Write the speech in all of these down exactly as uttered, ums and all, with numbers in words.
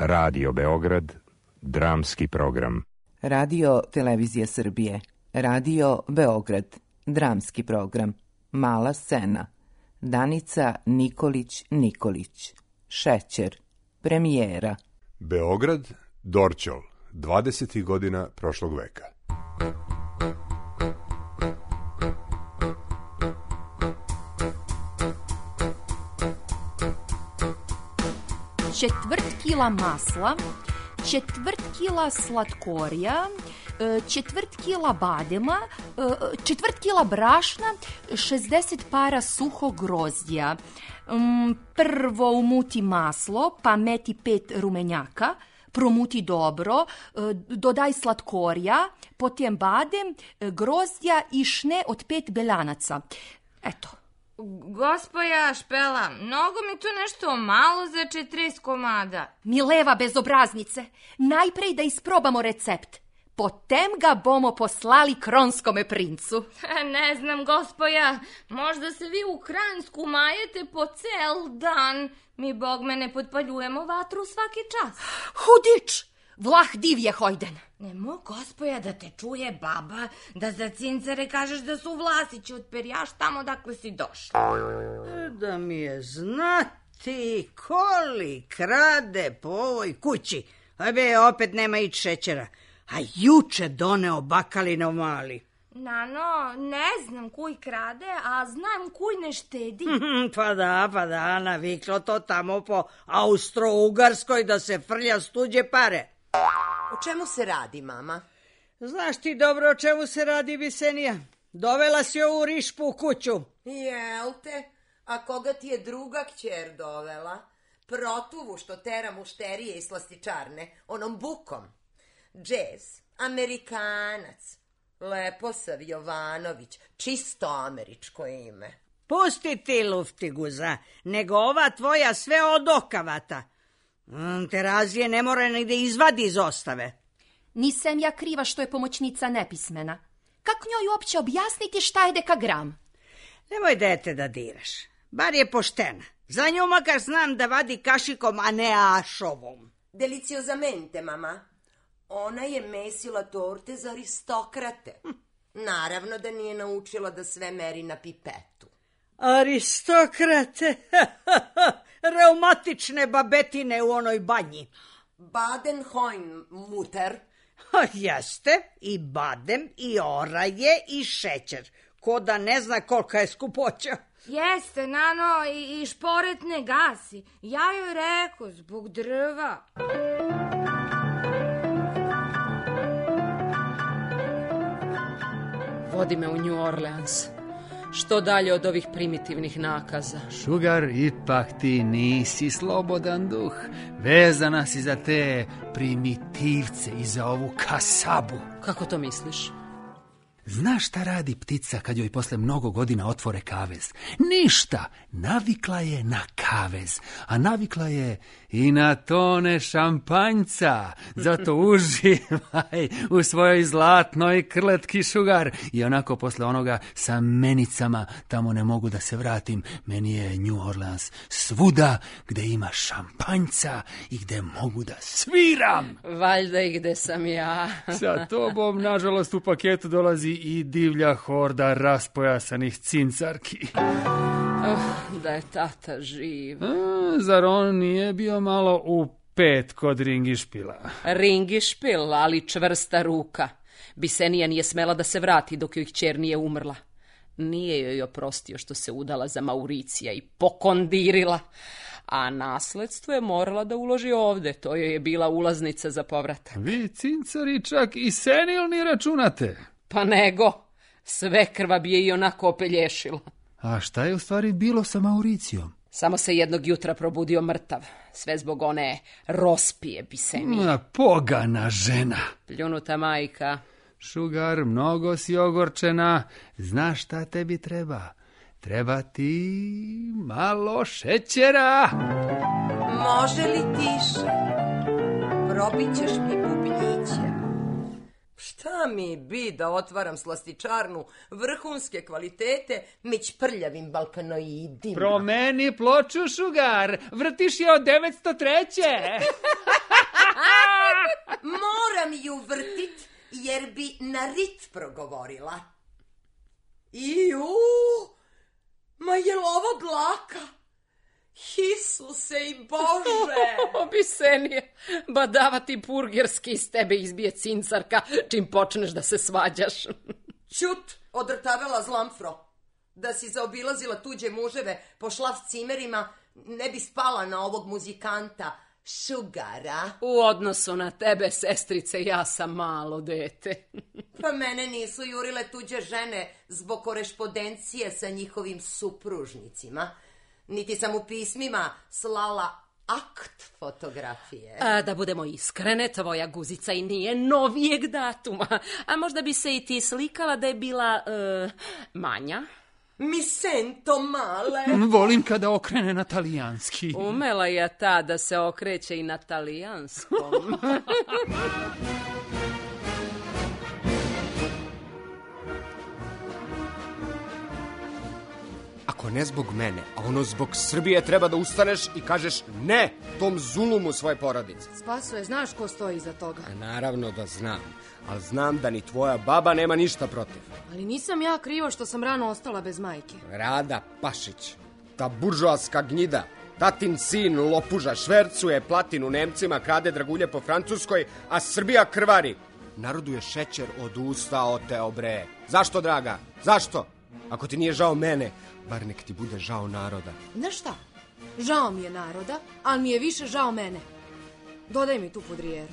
Radio Beograd, dramski program. Radio Televizija Srbije, Radio Beograd, dramski program. Mala scena. Danica Nikolić-Nikolić. Šećer. Premijera. Beograd, Dorćol, dvadesetih godina prošlog veka. Četvrt kila masla, četvrt kila slatkorija, četvrt kila badema, četvrt kila brašna, šezdeset para suhog grozdja. Prvo umuti maslo, pa meti pet rumenjaka, promuti dobro, dodaj slatkorija, potem badem, grozdja i šne od pet beljanaca. Eto. Gospoja Špela, mnogo mi tu nešto malo za četrdeset komada. Mileva bezobraznice, najprej da isprobamo recept. Potem ga bomo poslali kronskome princu. Ne znam, gospoja, možda se vi u Kransku majete po cel dan. Mi, bog me, ne potpaljujemo vatru svaki čas. Hudič! Vlah divje hojden. Nemo, gospoja, da te čuje baba, da za cincare kažeš da su Vlasići od Perjaš tamo dakle si došla. Da mi je znati koli krade po ovoj kući. A be, opet nema ić šećera. A juče doneo bakalinov mali. Nano, ne znam kuj krade, a znam kuj ne štedi. Pa da, pa da, naviklo to tamo po Austro-Ugarskoj da se frlja s tuđe pare. O čemu se radi, mama? Znaš ti dobro o čemu se radi, Bisenija? Dovela si ovu rišpu u kuću. Jel te? A koga ti je druga kćer dovela? Protuvu što tera mušterije i slastičarne, onom bukom. Džez, Amerikanac, Leposav Jovanović, čisto američko ime. Pusti ti, luftiguza, nego ova tvoja sve odokavata. Terazije ne mora ni da izvadi iz ostave. Nisam ja kriva što je pomoćnica nepismena. Kako njoj uopće objasniti šta je dekagram? Nemoj dete da diraš. Bar je poštena. Za nju makar znam da vadi kašikom, a ne ašovom. Deliciozamente, mama. Ona je mesila torte za aristokrate. Hm. Naravno da nije naučila da sve meri na pipetu. Aristokrate? Reumatične babetine u onoj banji. Baden-Hoin-Mutter. Jeste, i badem, i oraje, i šećer. Ko da ne zna kolika je skupoća. Jeste, Nano, i, i šporet ne gasi. Ja joj rekao, zbog drva. Vodi me u New Orleans. Što dalje od ovih primitivnih nakaza. Sugar, ipak ti nisi slobodan duh. Vezana si za te primitivce i za ovu kasabu. Kako to misliš? Znaš šta radi ptica kad joj posle mnogo godina otvore kavez? Ništa! Navikla je na kavez, a navikla je i na tone šampanjca. Zato uživaj u svojoj zlatnoj krletki, Sugar. I onako posle onoga sa menicama tamo ne mogu da se vratim. Meni je New Orleans svuda gde ima šampanjca i gde mogu da sviram. Valjda i gde sam ja. Sa tobom, nažalost, u paketu dolazi i divlja horda raspojasanih cincarki. Oh, da je tata živ. A, zar on nije bio malo u pet kod Ringišpila? Ringišpil, ali čvrsta ruka. Bisenija nije smela da se vrati dok joj kćer nije umrla. Nije joj oprostio što se udala za Mauricija i pokondirila. A nasledstvo je morala da uloži ovde. To joj je bila ulaznica za povratak. Vi, cincari, čak i senilni računate. Pa nego, sve krva bi je i onako opelješila. A šta je u stvari bilo sa Mauricijom? Samo se jednog jutra probudio mrtav. Sve zbog one rospije Bisenije. Ma, pogana žena. Pljunuta majka. Sugar, mnogo si ogorčena. Znaš šta tebi treba? Treba ti malo šećera. Može li tiše? Probit ćeš mi bubnjiće. Šta mi bi da otvaram slastičarnu vrhunske kvalitete među prljavim balkanoidima? Promeni ploču, Šugar, vrtiš je od devetsto treće. Moram ju vrtit, jer bi na rit progovorila. Iju, ma je li ovo dlaka? Isuse i Bože! Obisenije, badava ti purgerski iz tebe izbije cincarka čim počneš da se svađaš. Ćut, odrtavela zlamfro. Da si zaobilazila tuđe muževe po šlaf cimerima, ne bi spala na ovog muzikanta Šugara. U odnosu na tebe, sestrice, ja sam malo dete. Pa mene nisu jurile tuđe žene zbog korešpondencije sa njihovim supružnicima. Niti sam u pismima slala akt fotografije. A, da budemo iskrene, tvoja guzica i nije novijeg datuma. A možda bi se i ti slikala da je bila uh, manja? Mi sento male. Volim kada okrene na talijanski. Umela je ta da se okreće i na talijanskom. Ako ne zbog mene, a ono zbog Srbije, treba da ustaneš i kažeš ne tom zulumu svoje porodice. Spasoje, znaš ko stoji iza toga? A naravno da znam, ali znam da ni tvoja baba nema ništa protiv. Ali nisam ja kriva što sam rano ostala bez majke. Rada Pašić, ta buržoaska gnjida, tatin sin lopuža, švercuje platinu Nemcima, krade dragulje po Francuskoj, a Srbija krvari. Narodu je šećer od usta oteo, bre. Zašto, draga? Zašto? Ako ti nije žao mene, bar nek ti bude žao naroda. Znaš šta? Žao mi je naroda, ali mi je više žao mene. Dodaj mi tu pudrijeru.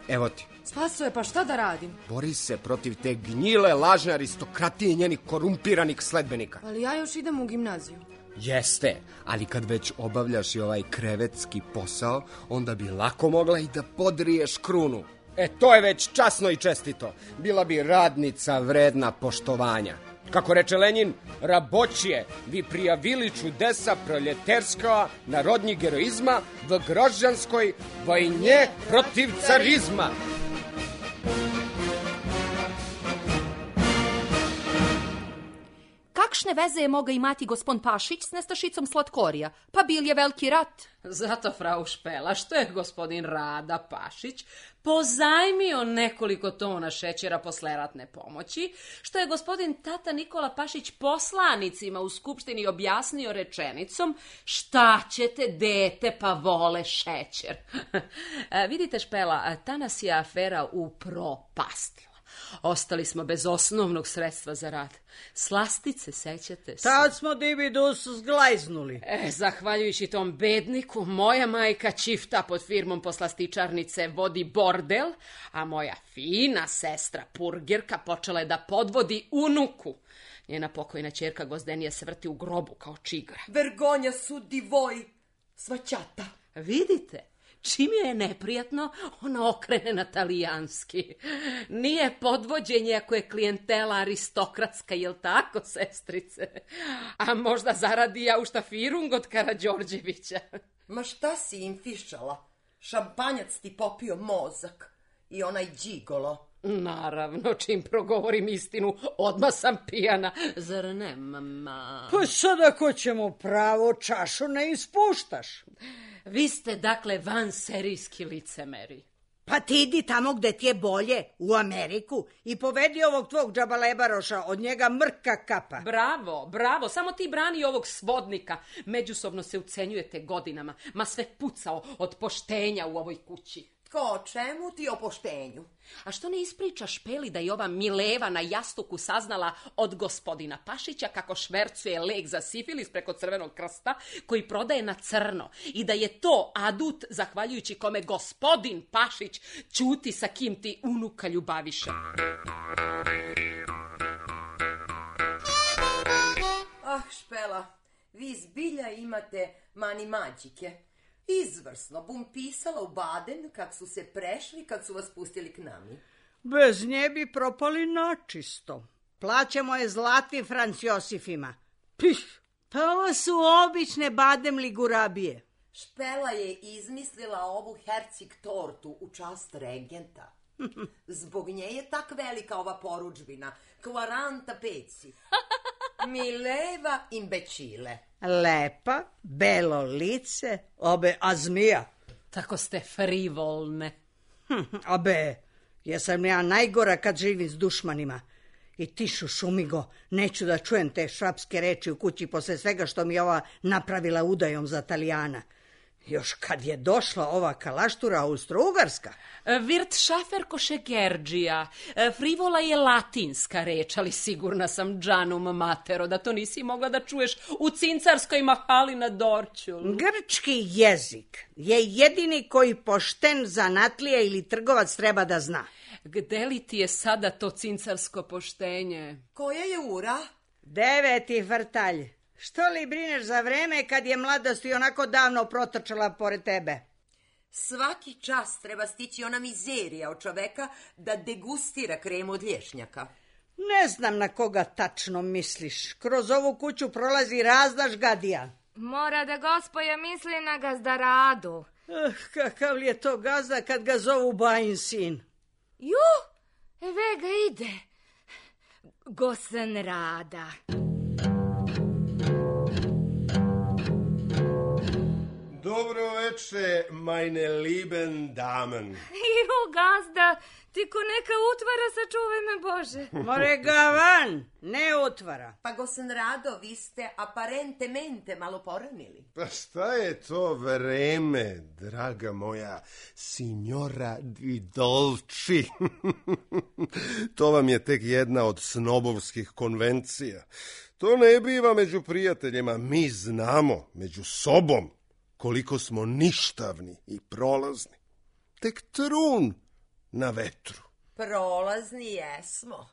Evo ti. Spasoje, pa šta da radim? Bori se protiv te gnjile, lažne aristokratije i njenih korumpiranih sledbenika. Ali ja još idem u gimnaziju. Jeste, ali kad već obavljaš i ovaj krevetski posao, onda bi lako mogla i da podriješ krunu. E, to je već časno i čestito. Bila bi radnica vredna poštovanja. Kako reče Lenin, rabočije vi prijavili čudesa proljeterskого narodnjeg heroizma v grožđanskoj vojnje protiv carizma. Kakšne veze je moga imati gospon Pašić s nestašicom slatkorija? Pa bil je veliki rat. Zato, frau Špela, što je gospodin Rada Pašić pozajmio nekoliko tona šećera posle ratne pomoći, što je gospodin tata Nikola Pašić poslanicima u skupštini objasnio rečenicom šta ćete, dete, pa vole šećer. Vidite, Špela, ta nas je afera upropastila. Ostali smo bez osnovnog sredstva za rad. Slastice, sećate se? Tad smo dibidus zglajznuli. E, zahvaljujući tom bedniku, moja majka čifta pod firmom poslastičarnice vodi bordel, a moja fina sestra Purgerka počela je da podvodi unuku. Njena pokojna ćerka Gozdenija se vrti u grobu kao čigra. Vergonja su divoj, svaćata. Vidite? Čim je neprijatno, ona okrene na talijanski. Nije podvođenje ako je klijentela aristokratska, jel tako, sestrice? A možda zaradi ja u štafirung od Karađorđevića. Ma šta si im fišala? Šampanjac ti popio mozak i onaj đigolo. Naravno, čim progovorim istinu, odmah sam pijana. Zar ne, mama? Pa sad ako ćemo pravo, čašu ne ispuštaš. Vi ste, dakle, vanserijski licemeri. Pa ti idi tamo gde ti je bolje, u Ameriku, i povedi ovog tvog džabalebaroša, od njega mrka kapa. Bravo, bravo, samo ti brani ovog svodnika. Međusobno se ucenjujete godinama, ma sve pucao od poštenja u ovoj kući. Ko, čemu ti o poštenju? A što ne ispričaš Špeli da je ova Mileva na jastuku saznala od gospodina Pašića kako švercuje lek za sifilis preko Crvenog krsta koji prodaje na crno i da je to adut zahvaljujući kome gospodin Pašić ćuti sa kim ti unuka ljubaviše. Ah, Špela, vi zbilja imate mani mađike. Izvrsno, bum pisala u Baden kak su se prešli kad su vas pustili k nami. Bez nje bi propali načisto. Plaćamo je zlatvi Franc Josifima. Pih, pa ovo su obične bademli gurabije. Špela je izmislila ovu hercig tortu u čast regenta. Zbog nje je tak velika ova poručbina. Kvaranta peci. Mileva imbecile. Lepa, belo lice, obe azmija. Tako ste frivolne. Hm, abe, jesam ja najgora kad živim s dušmanima. I ti, Šušumigo, neću da čujem te šapske reči u kući posle svega što mi ova napravila udajom za Talijana. Još kad je došla ova kalaštura Austro-Ugarska. Virt šaferkoše Gerđija. Frivola je latinska reč, ali sigurna sam, džanum matero, da to nisi mogla da čuješ u cincarskoj mahali na Dorćolu. Grčki jezik je jedini koji pošten zanatlija ili trgovac treba da zna. Gde li ti je sada to cincarsko poštenje? Koja je ura? Deveti vrtalj. Što li brineš za vreme kad je mladost i onako davno protrčala pored tebe? Svaki čas treba stići ona mizerija od čoveka da degustira kremu od lješnjaka. Ne znam na koga tačno misliš. Kroz ovu kuću prolazi razna žgadija. Mora da gospoja misli na gazdaradu. Uh, kakav li je to gazda kad ga zovu bajin sin? Ju, eve ga ide. Gosen Rada. Dobro veče, meine lieben Damen. Ju, gazda, ti ko neka utvara, sačuvaj me Bože. More ga van, ne utvara. Pa Gosen Rado, vi ste aparentemente malo poranili. Pa šta je to vreme, draga moja signora di Dolci? To vam je tek jedna od snobovskih konvencija. To ne biva među prijateljima, mi znamo među sobom koliko smo ništavni i prolazni. Tek trun na vetru. Prolazni jesmo,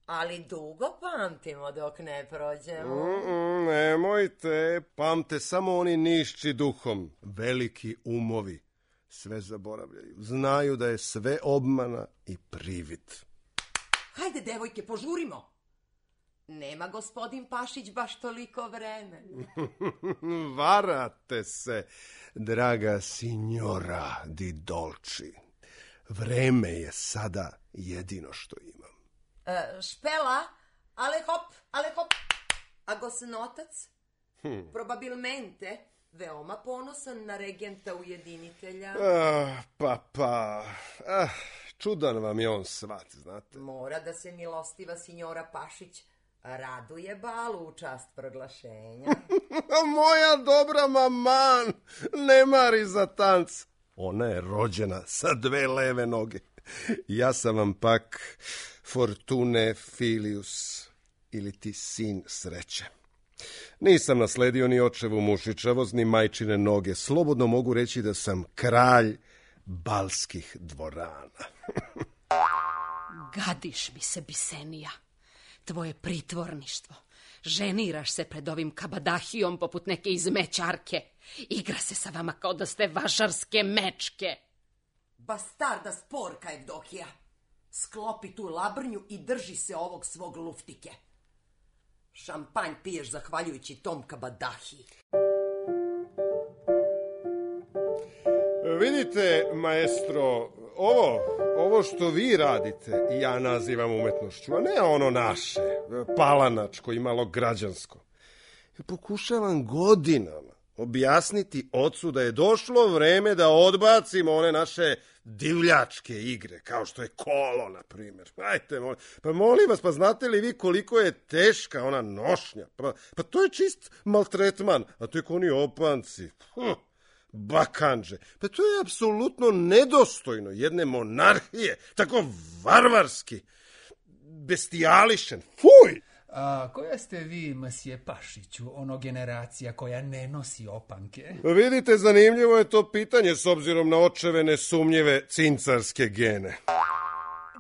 ali dugo pamtimo dok ne prođemo. Mm-mm, nemojte, pamte samo oni nišći duhom. Veliki umovi sve zaboravljaju. Znaju da je sve obmana i privid. Hajde, devojke, požurimo. Nema gospodin Pašić baš toliko vremena. Varate se, draga signora di Dolci. Vreme je sada jedino što imam. E, špela, ale hop, ale hop. A gosnotac? Hm. Probabilmente veoma ponosan na regenta ujedinitelja. Ah, pa, pa. Ah, čudan vam je on svat, znate. Mora da se milostiva signora Pašić raduje balu u čast proglašenja. Moja dobra maman ne mari za tanc. Ona je rođena sa dve leve noge. Ja sam vam pak Fortune Filius, ili ti sin sreće. Nisam nasledio ni očevu mušičavost, ni majčine noge. Slobodno mogu reći da sam kralj balskih dvorana. Gadiš mi se, Bisenija. Tvoje pritvorništvo. Ženiraš se pred ovim kabadahijom poput neke izmećarke. Igra se sa vama kao da ste vašarske mečke. Bastarda sporka, Evdohija. Sklopi tu labrnju i drži se ovog svog luftike. Šampanj piješ zahvaljujući tom kabadahiji. Vidite, maestro, ovo, ovo što vi radite ja nazivam umetnošću, a ne ono naše, palanačko i malo građansko. Pokušavam godinama objasniti ocu da je došlo vreme da odbacimo one naše divljačke igre, kao što je kolo, na primjer. Ajte, molim, pa molim vas, pa znate li vi koliko je teška ona nošnja? Pa, pa to je čist maltretman, a tek oni opanci. Hm. Bakanđe. Pa to je apsolutno nedostojno jedne monarhije, tako varvarski, bestijališen. Fuj! A koja ste vi, masije Pašiću, ono generacija koja ne nosi opanke? Vidite, zanimljivo je to pitanje s obzirom na očeve nesumnjive cincarske gene.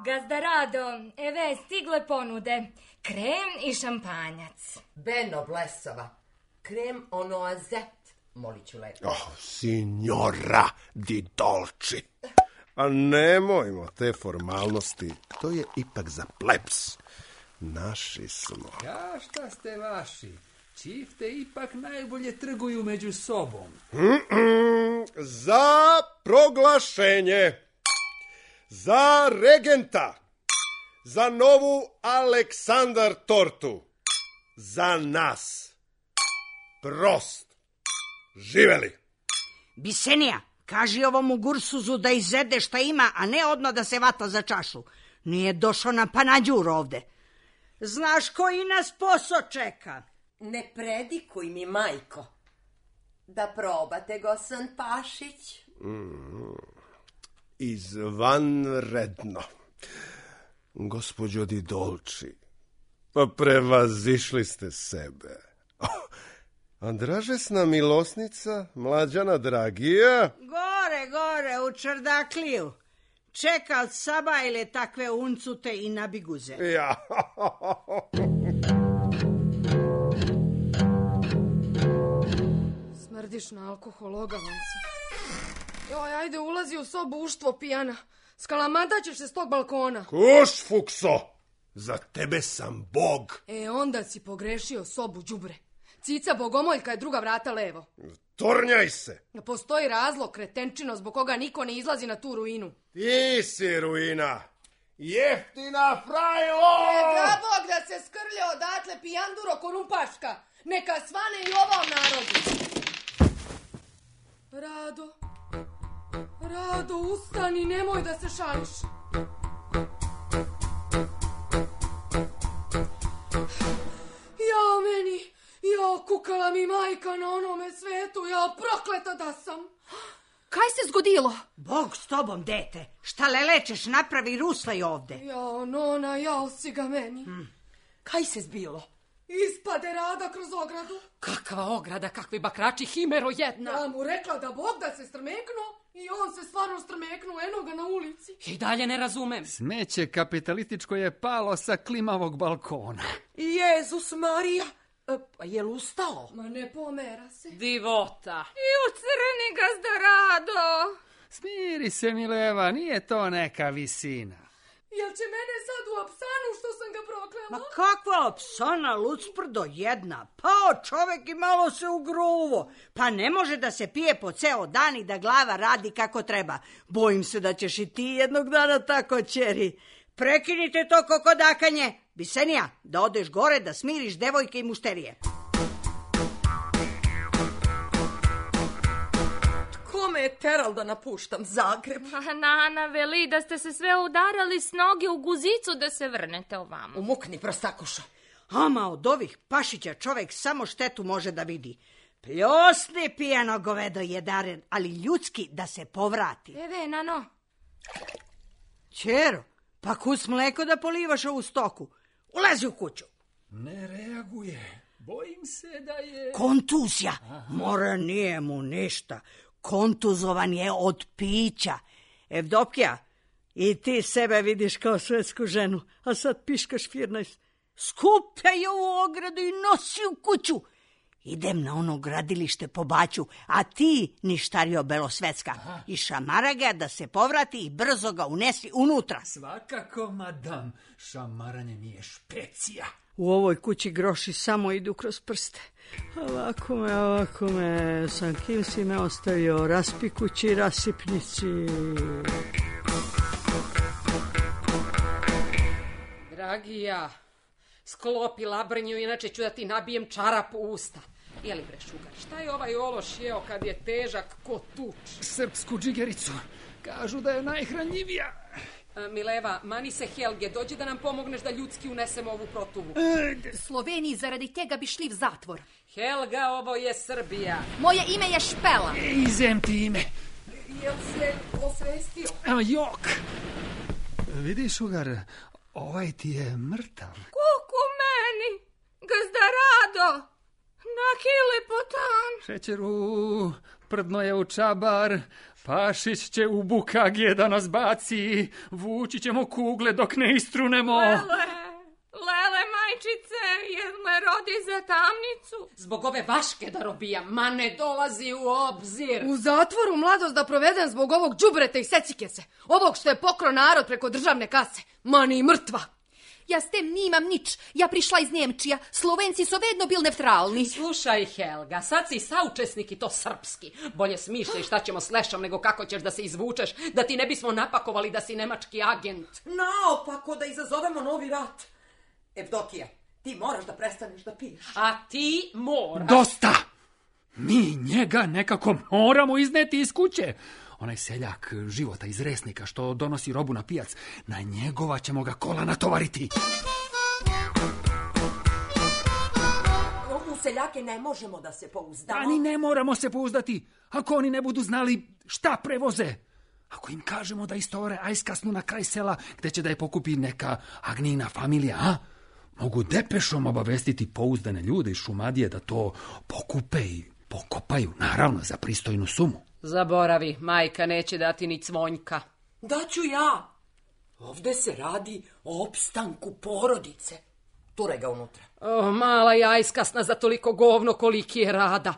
Gazdarado, eve stigle ponude. Krem i šampanjac. Beno blesava. Krem onoazet. Molit ću lepo. Oh, signora di Dolci. A nemojmo te formalnosti. To je ipak za plebs. Naši smo. Ja, šta ste vaši? Čifte ipak najbolje trguju među sobom. Mm-mm, za proglašenje. Za regenta. Za novu Aleksandar tortu. Za nas. Prost. Živeli. Bisenija, kaži ovom Ugursuzu da izede šta ima, a ne odmah da se vata za čašu. Nije došao na panađur ovde. Znaš koji nas posao čeka? Ne predikuj mi, majko. Da probate, Gosan Pašić. Mm, izvanredno. Gospođo Didolči, pa prevazišli ste sebe. Andražesna milosnica, Mlađana Dragija? Gore, gore, u čardakliju. Čeka od Sabajle takve uncute i nabiguze. Ja. Smrdiš na alkohol, ogavan si. Joj, ajde, ulazi u sobu uštvo pijana. Skalamata ćeš se s tog balkona. Kuš, fukso! Za tebe sam bog. E, onda si pogrešio sobu, đubre. Cica bogomoljka je druga vrata levo. Tornjaj se. Postoji razlog, kretenčino, zbog koga niko ne izlazi na tu ruinu. Ti si ruina. Jeftina frajlo! E, da bog da se skrlje odatle pijanduro korumpaška. Neka svane i ovom narodu. Rado, Rado, ustani, nemoj da se šališ. Jao meni, jao kukala mi majka na onome svetu, jao prokleta da sam. Kaj se zgodilo? Bog s tobom, dete. Šta lelečeš, napravi ruslaj ovde. Jao, nona, jao si ga meni. Hmm. Kaj se zbilo? Ispade Rada kroz ogradu. Kakva ograda, kakvi bakrači, himero jedna. Ja mu rekla da Bog da se strmeknuo i on se stvarno strmeknuo, eno ga na ulici. I dalje ne razumem. Smeće kapitalističko je palo sa klimavog balkona. Jezus Marija, e, je li ustao? Ma ne pomera se. Divota. I u crni gazda Rado. Smiri se, Mileva, nije to neka visina. Jel će mene sad u apsanu što sam ga proklela? Ma kakva apsana, lucprdo jedna. Pao čovek i malo se ugruvo. Pa ne može da se pije po ceo dan i da glava radi kako treba. Bojim se da ćeš i ti jednog dana tako, ćeri. Prekinite to kokodakanje. Bisenija, da odeš gore da smiriš devojke i mušterije. Me je teral da napuštam Zagreb. Nana veli da ste se sve udarali s noge u guzicu da se vrnete ovamo. Umukni, prostakuša. Ama od ovih Pašića čovek samo štetu može da vidi. Pljosni pijano govedo jedaren, ali ljudski da se povrati. Eve, Nano. Ćero, pa kus mleko da polivaš ovu stoku. Ulazi u kuću. Ne reaguje. Bojim se da je... Kontuzija. Mora, nije mu ništa. Kontuzovan je od pića. Evdokija, i ti sebe vidiš kao svetsku ženu, a sad piškaš firnaest. Skupljaj ovu ogradu i nosi u kuću. Idem na ono gradilište po baću, a ti, ništario belosvetska, aha, i šamara ga da se povrati i brzo ga unesi unutra. Svakako, madam, šamaranje mi je špecija. U ovoj kući groši samo idu kroz prste. Ovako me, ovako me, sam kim si me ostavio, raspi kući, rasipnici. Dragija, sklopi labrnju, inače ću da ti nabijem čarap u usta. Jeli bre, Šugar, šta je ovaj ološ jeo kad je težak ko tuč? Srpsku džigericu, kažu da je najhranjivija. Mileva, mani se Helge, dođi da nam pomogneš da ljudski unesemo ovu protuvu. Sloveniji zaradi tega bi šli v zatvor. Helga, ovo je Srbija. Moje ime je Špela. Izem ti ime. Jel se osvestio? Evo, jok. Vidi, Šugar, ovaj ti je mrtav. Kuku meni, gazda Rado, na hilipotan. Šećeru, prdno je u čabar, Pašić će u bukagije da nas baci, vući ćemo kugle dok ne istrunemo. Lele, lele majčice, jel me rodi za tamnicu? Zbog ove vaške da robija, ma ne dolazi u obzir. U zatvoru mladost da provedem zbog ovog đubreta i secike se, ovog što je pokro narod preko državne kase, ma ni mrtva. Ja s tem nimam nič. Ja prišla iz Njemčija. Slovenci su vedno bil neutralni. Slušaj, Helga, sad si saučesnik i to srpski. Bolje smišljaj šta ćemo s Lešom nego kako ćeš da se izvučeš, da ti ne bismo napakovali da si nemački agent. Naopako da izazovemo novi rat. Evdokija, ti moraš da prestaneš da piješ. A ti moraš. Dosta! Mi njega nekako moramo izneti iz kuće. Onaj seljak Života iz Resnika što donosi robu na pijac, na njegova ćemo ga kola natovariti. U seljake ne možemo da se pouzdamo. Ani ne moramo se pouzdati, ako oni ne budu znali šta prevoze. Ako im kažemo da istovare ajskasnu na kraj sela, gde će da je pokupi neka Agnina familija, a? Mogu depešom obavestiti pouzdane ljude iz Šumadije da to pokupe i pokopaju, naravno, za pristojnu sumu. Zaboravi, majka neće dati ni cvonjka. Daću ja. Ovde se radi o opstanku porodice. Turaj ga unutra. O, mala jajskasna za toliko govno koliki je rada.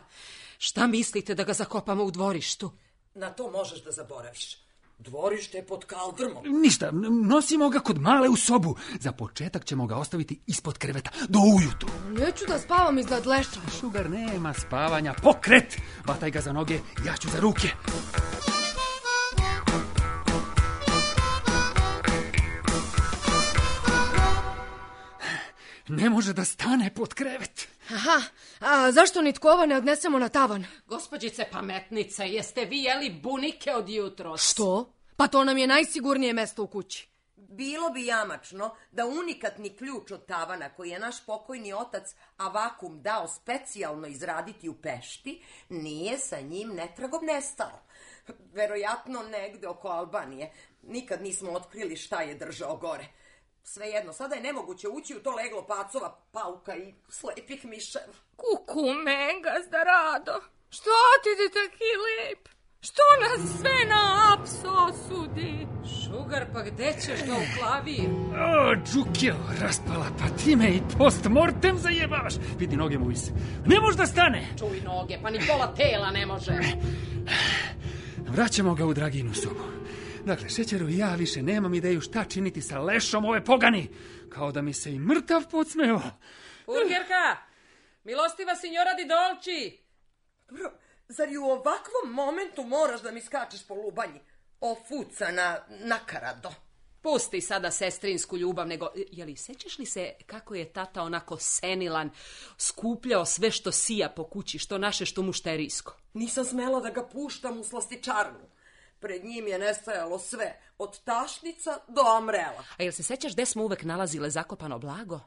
Šta mislite da ga zakopamo u dvorištu? Na to možeš da zaboraviš. Dvorište je pod kaldrmom. Ništa, nosimo ga kod male u sobu. Za početak ćemo ga ostaviti ispod kreveta do ujutru. Neću da spavam iznad Leša. Šugar, nema spavanja. Pokret! Vataj ga za noge, ja ću za ruke. Ne može da stane pod krevet. Aha, a zašto nitko ovo ne odnesemo na tavan? Gospođice pametnice, jeste vi jeli bunike od jutros? Što? Pa to nam je najsigurnije mesto u kući. Bilo bi jamačno da unikatni ključ od tavana koji je naš pokojni otac Avakum dao specijalno izraditi u Pešti, nije sa njim netragom nestao. Verojatno negde oko Albanije. Nikad nismo otkrili šta je držao gore. Svejedno, sada je nemoguće ući u to leglo pacova, pauka i slepih miševa. Kuku mengas da rado. Što ti ti taki lep? Što nas sve na aps osudi? Šugar, pa gde ćeš ga u klavir? O, Džukio, raspala, pa ti me i post mortem zajebavaš. Vidi noge mu iz. Ne može da stane. Čuj noge, pa ni pola tela ne može. Vraćamo ga u Draginu sobu. Dakle, Šećeru i ja više nemam ideju šta činiti sa Lešom ove pogani. Kao da mi se i mrtav podsmeo. Urgerka, milostiva signora di dolci. Bro, zar i u ovakvom momentu moraš da mi skačeš po lubanji? Ofucana nakarado. Pusti sada sestrinsku ljubav, nego, jeli, sećaš li se kako je tata onako senilan, skupljao sve što sija po kući, što naše, što mušterijsko? Nisam smela da ga puštam u slastičarnu. Pred njim je nestajalo sve, od tašnica do amrela. A jel se sećaš gde smo uvek nalazile zakopano blago?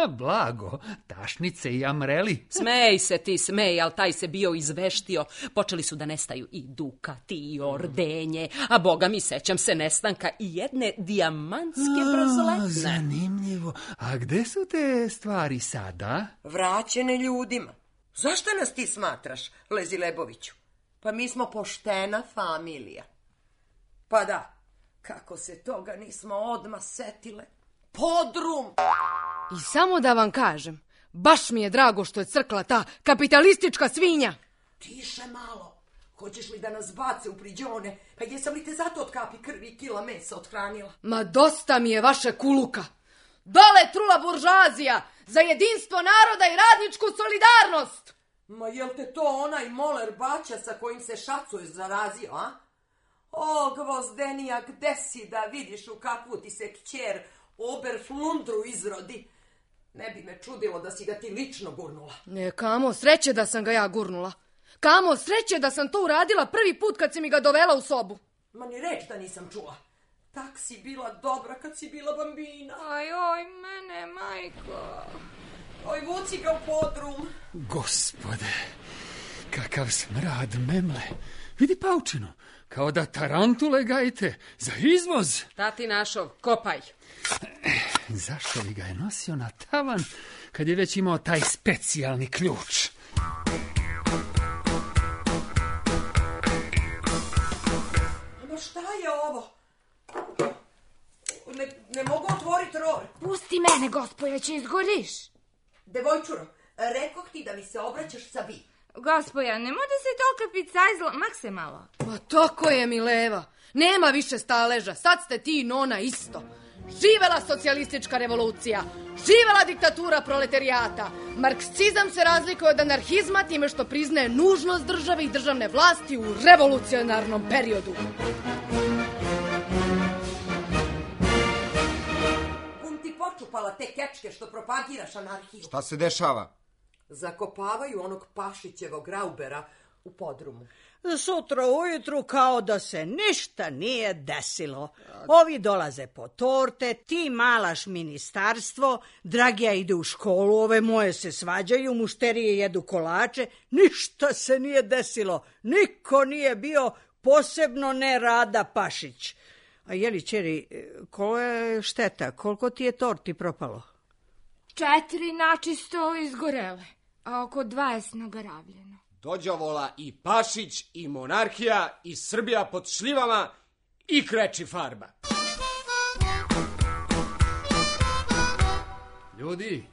Blago, tašnice i amreli. Smej se ti, smej, ali taj se bio izveštio. Počeli su da nestaju i dukati i ordenje, a boga mi sećam se nestanka i jedne dijamantske brzletne. Zanimljivo. A gde su te stvari sada? Vraćene ljudima. Zašto nas ti smatraš, Lezi Leboviću? Pa mi smo poštena familija. Pa da, kako se toga nismo odmah setile. Podrum! I samo da vam kažem, baš mi je drago što je crkla ta kapitalistička svinja. Tiše malo. Hoćeš li da nas bace u priđone? Pa jesam li te zato od kapi krvi i kila mesa othranila? Ma dosta mi je vaše kuluka. Dole trula buržoazija za jedinstvo naroda i radničku solidarnost! Ma jel te to onaj moler baća sa kojim se šacuješ zarazio, a? O, Gvozdenija, gde si da vidiš u kakvu ti se kćer Oberflundru izrodi? Ne bi me čudilo da si ga ti lično gurnula. Ne, kamo sreće da sam ga ja gurnula. Kamo sreće da sam to uradila prvi put kad si mi ga dovela u sobu. Ma ni reč da nisam čula. Tak si bila dobra kad si bila bambina. Aj, oj, mene, majko. Oj, vuci ga u podrum. Gospode, kakav smrad memle. Vidi paučinu, kao da tarantule gajite za izvoz. Tati našov, kopaj. Zašto li ga je nosio na tavan kad je već imao taj specijalni ključ? Ma šta je ovo? Ne, ne mogu otvoriti ror. Pusti mene, gospoja, će izgoriš. Devojčuro, rekoh ti da mi se obraćaš sa vi. Gospoja, ne može se tolika picajzla, mak se malo. Ma tako je, Mileva. Nema više staleža, sad ste ti i nona isto. Živela socijalistička revolucija! Živela diktatura proletarijata! Marksizam se razlikuje od anarhizma time što priznaje nužnost države i državne vlasti u revolucionarnom periodu. Kum ti počupala te kečke što propagiraš anarhiju. Šta se dešava? Zakopavaju onog Pašićevog Graubera u podrumu. Sutra ujutru kao da se ništa nije desilo. Ovi dolaze po torte, ti malaš ministarstvo, Dragija ide u školu, ove moje se svađaju, mušterije jedu kolače, ništa se nije desilo. Niko nije bio, posebno ne Rada Pašić. A jeli, čeri, koja je šteta? Koliko ti je torti propalo? Četiri načisto izgorele, a oko dvadeset nagaravljeno. Dođavola i Pašić, i monarhija, i Srbija pod šljivama, i kreči farba. Ljudi,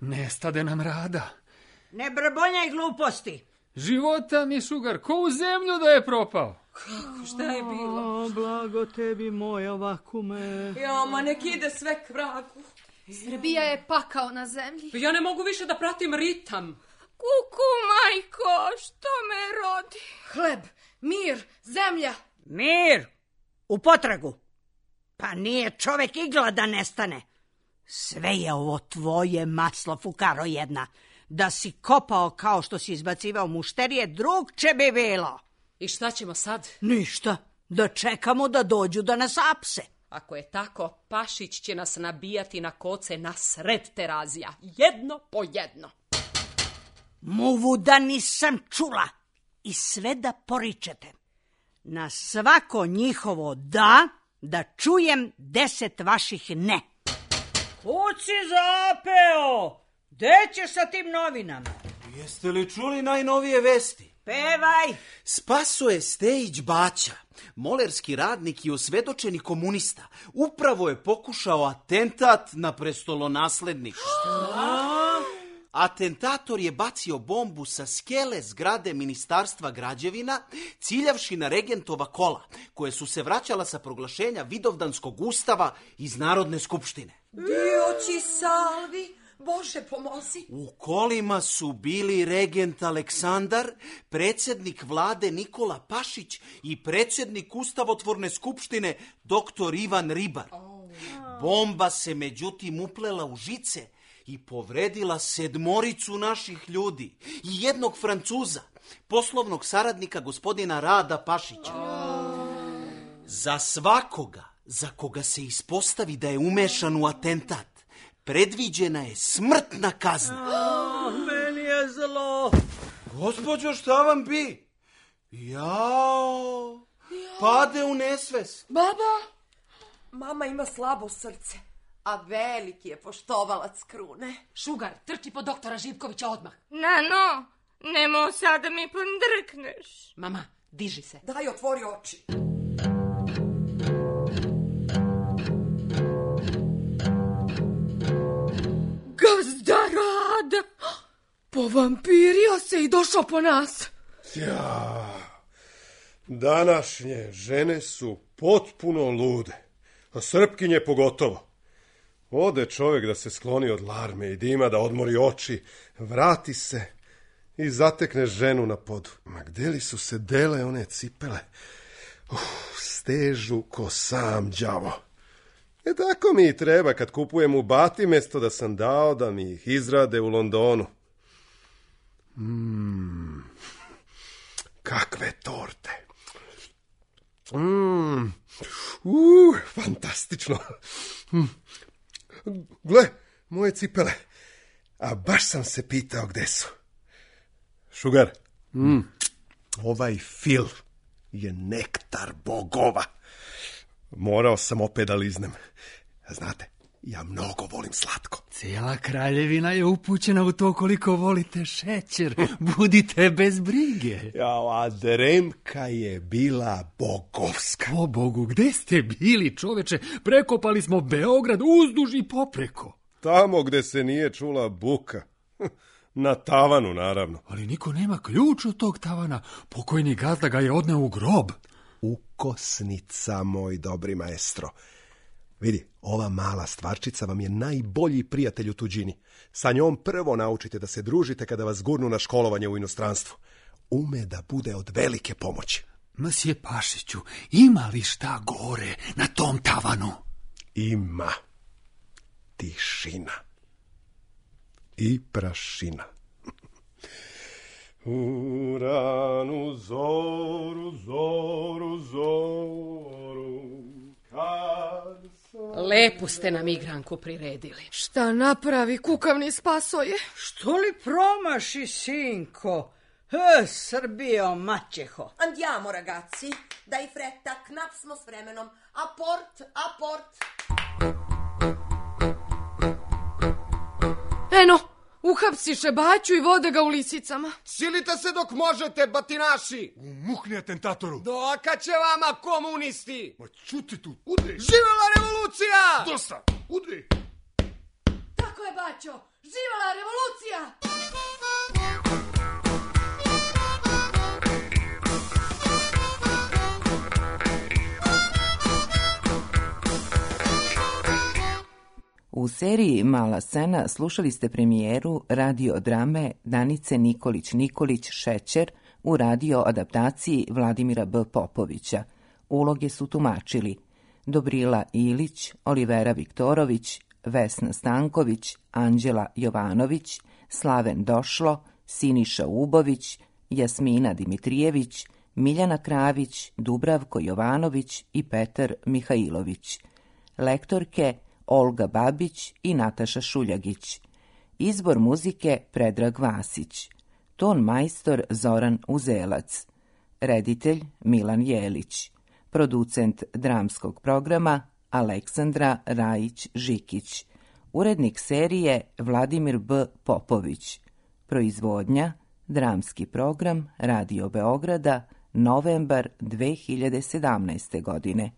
nestade nam Rada. Ne brbonjaj gluposti. Života mi, Šugar, ko u zemlju da je propao. Kako, šta je bilo? O, blago tebi moja vakume. Jo, ma nek ide sve k vragu. Srbija je pakao na zemlji. Ja ne mogu više da pratim ritam. Kuku, majko, što me rodi? Hleb, mir, zemlja. Mir, u potragu. Pa nije čovek igla da nestane. Sve je ovo tvoje maslo, fukaro jedna. Da si kopao kao što si izbacivao mušterije, drugče bi bilo. I šta ćemo sad? Ništa, da čekamo da dođu da nas apse. Ako je tako, Pašić će nas nabijati na koce na sred Terazija. Jedno po jedno. Muvu da nisam čula i sve da poričete. Na svako njihovo da, da čujem deset vaših ne. Kud si zapeo? Gde ćeš sa tim novinama? Jeste li čuli najnovije vesti? Pevaj! Spasoje Stejić Baća, molerski radnik i osvedočeni komunista, upravo je pokušao atentat na prestolonaslednika. Šta? Atentator je bacio bombu sa skele zgrade Ministarstva građevina, ciljavši na regentova kola, koje su se vraćala sa proglašenja Vidovdanskog ustava iz Narodne skupštine. Dioći salvi, Bože pomozi. U kolima su bili regent Aleksandar, predsjednik vlade Nikola Pašić i predsjednik Ustavotvorne skupštine doktor Ivan Ribar. Bomba se međutim uplela u žice i povredila sedmoricu naših ljudi i jednog Francuza, poslovnog saradnika gospodina Rada Pašića. Za svakoga za koga se ispostavi da je umešan u atentat, predviđena je smrtna kazna. A, meni je zlo. Gospođo, šta vam bi? Jao, pade u nesvest. Baba, mama ima slabo srce, a veliki je poštovalac krune. Šugar, trči po doktora Živkovića odmah. Nano, nemo sad da mi pandrkneš. Mama, diži se. Daj, otvori oči. Gazda Rada! Povampirio se i došao po nas. Ja, današnje žene su potpuno lude, a Srpkinje pogotovo. Ode čovjek da se skloni od larme i dima, da odmori oči, vrati se i zatekne ženu na podu. Ma gde li su se dele one cipele? Uf, stežu ko sam đavo. E tako mi i treba kad kupujem u Bati, mjesto da sam dao da mi ih izrade u Londonu. Mm, kakve torte. Mm, uh, fantastično. Mm. Gle, moje cipele. A baš sam se pitao gde su. Šugar, mm. ovaj fil je nektar bogova. Morao sam opet da liznem. Znate, ja mnogo volim slatko. Cijela kraljevina je upućena u to koliko volite šećer. Budite bez brige. Jao, a Dremka je bila bogovska. O Bogu, gde ste bili, čoveče? Prekopali smo Beograd uzduž i popreko. Tamo gde se nije čula buka. Na tavanu, naravno. Ali niko nema ključ od tog tavana. Pokojni gazda ga je odneo u grob. Ukosnica, moj dobri maestro. Vidi, ova mala stvarčica vam je najbolji prijatelj u tuđini. Sa njom prvo naučite da se družite kada vas gurnu na školovanje u inostranstvu. Ume da bude od velike pomoći. Msje Pašiću, ima li šta gore na tom tavanu? Ima. Tišina. I prašina. U ranu zoru, zoru, zoru, kad sam... Lepu ste nam igranku priredili. Šta napravi kukavni spasoje? Što li promaši, sinko? E, Srbijo, maćeho. Andiamo, ragazzi. Dai fretta, knap smo s vremenom. Aport, aport. Eno, uhapsiše baću i vode ga u lisicama. Silite se dok možete, batinaši! Mukni atentatoru! Doka će vama, komunisti! Ma čuti tu, udri! Živela revolucija! Dosta, udri! Tako je, baćo! Živela revolucija! U seriji Mala scena slušali ste premijeru radio drame Danice Nikolić-Nikolić Šećer u radio adaptaciji Vladimira B. Popovića. Uloge su tumačili Dobrila Ilić, Olivera Viktorović, Vesna Stanković, Anđela Jovanović, Slaven Došlo, Siniša Ubović, Jasmina Dimitrijević, Miljana Kravić, Dubravko Jovanović i Petar Mihajlović. Lektorke Olga Babić i Nataša Šuljagić. Izbor muzike Predrag Vasić. Ton majstor Zoran Uzelac. Reditelj Milan Jelić. Producent dramskog programa Aleksandra Rajić-Žikić. Urednik serije Vladimir B. Popović. Proizvodnja dramski program Radio Beograda, novembar dve hiljade sedamnaeste godine.